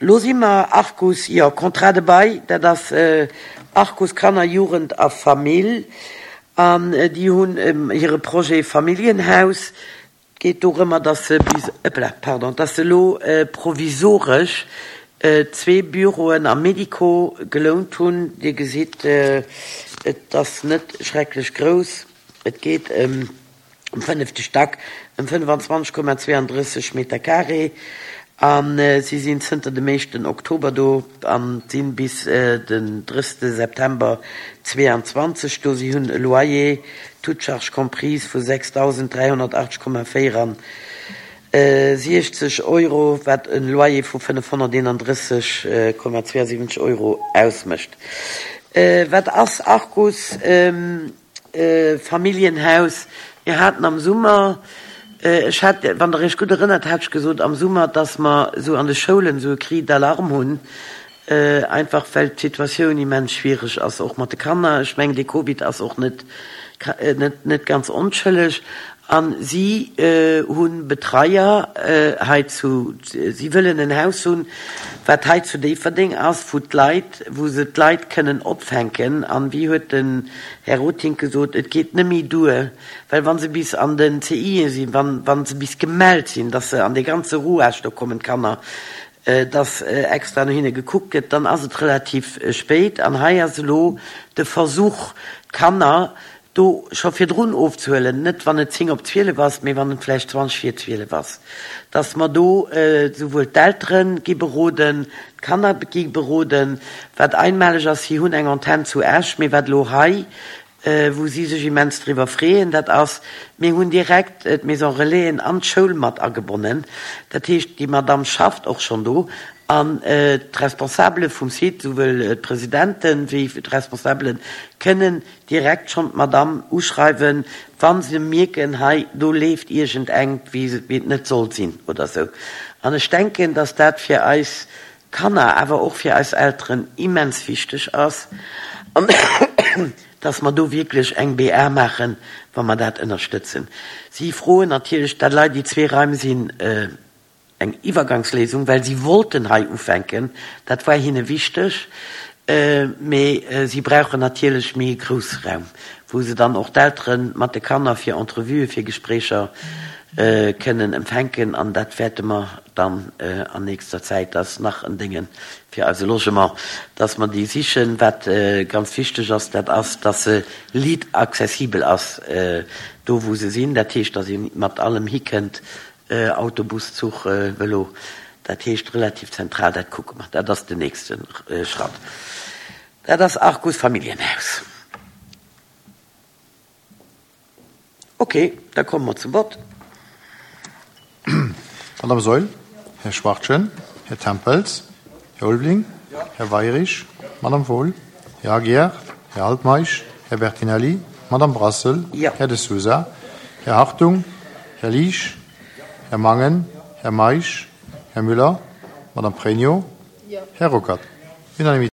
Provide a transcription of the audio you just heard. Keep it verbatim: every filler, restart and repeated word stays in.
Lo si mer Arcus, jo, Contrat de bail, dat ass Arcus Kanner, Jugend a Famill an déi hunn hire Projet Familljenhaus. Et geet dorëmmer, dass se bis, ëppla, pardon, dass se elo provisoresch zwee Büroen am Medico gelount hunn. Dir gesitt, et ass net schrecklech grouss. Et geet ëm um fënnefte Stack ëm fënnefanzwanzeg Komma zweeandrësseg Meter carré a si sinn zënter dem éischten Oktober do a sinn bis den drëssigste September zweeanzwanzeg do. Si hunn e Loyer, toutes charges comprises, vu sechsdausend dräihonnertaachtzeg Komma véierunsiechzeg Euro, wat e Loyer vu fënnefhonnerteenandrësseg Komma zweeasiwwenzeg Euro ausmécht. Wat ass Arcus Familljenhaus? Mir haten am Summer, ech hat, wann Der Iech gutt erënnert, hat ech gesot am Summer, dass mer esou an de Schoulen esou e Cri d'alarme hunn, einfach well d'Situatioun immens schwiereg ass, och mat de Kanner. Ech mengen, dee Covid ass och net, net, net ganz onschëlleg. A si hu Betreier hei zu, si wëllen en Haus hunn, wat hei zu Déifferdeng ass, wou d'Leit, wou se d'Leit kënnen opfänken. An wéi huet den Här Rotink gesot, et geet net méi duer, well wa se bis an den C I E sinn, wann, wa se bis gemellt sinn, dass se an dee ganze Rouage do kommen, d'Kanner, dass extra no hinne gekuckt gëtt, dann ass et relativ spéit. An hei ass elo de Versuch, d'Kanner do scho virdrun ofzehuelen, net wann et zéng op zwielef ass, mee wann et vläicht zwanzeg vir zwielef ass, dass mer do souwuel d'Eltere gi beroden, d'Kanner gi beroden. Wat einmaleg ass, si hunn eng Antenn zu Esch, mee wat elo hei, wou si sech immens driwwer freeën, dat ass, mir hunn direkt d'Maison Relaisen an d'Schoul mat agebonnen. Dat heescht, déi Madame schafft och schonn do an d'Responsabele vum Site, souwuel d'Presidenten wéi d'Responsabelen, kënnen direkt schonn d'Madame uschreiwen, wa se mierken, hei do leeft iergendengt, wéi et net soll sinn oder sou. An ech denken, dass dat fir eis Kanner, awer och fir eis Elteren immens wichteg ass, an dass mer do wierklech eng B A maachen, wa mer dat ënnerstëtzen. Si froen natierlech, dat Leit, déi zwee Raim sinn, eng Iwwergangsléisung, well si wollten hei ufänken, dat war hinne wichteg, mee si brauchen natierlech méi e grousse Raum, wou se dann och d'Eltere mat de Kanner fir Entrevuë, fir Gespréicher kënnen empfänken. An dat wäerte mer dann an nächster Zäit, dat ass nach en Dénge fir eise Logement, dass mer déi sichen. Wat ganz wichteg ass, dat ass, dass se liit accessibel ass do, wou se sinn. Dat heescht, dass ee mat allem hikënnt, Auto, Bus, Zuch, Vëlo, dat heescht relativ zentral. Dat kucke mer, dat ass den nächste Schratt. Dat ass Arcus Familljenhaus. Ok, da komme mer zum Vott. Madame Saeul? Här Schwachtgen? Här Tempels? Här Ulveling? Här Weirich? Madame Wohl? Här Aguiar? Här Altmeisch? Här Bertinelli? Madame Brassel? Här De Sousa? Här Hartung? Här Liesch? Här Mangen? Här Meisch? Här Müller? Madame Pregno? Här Ruckert? Unanimité.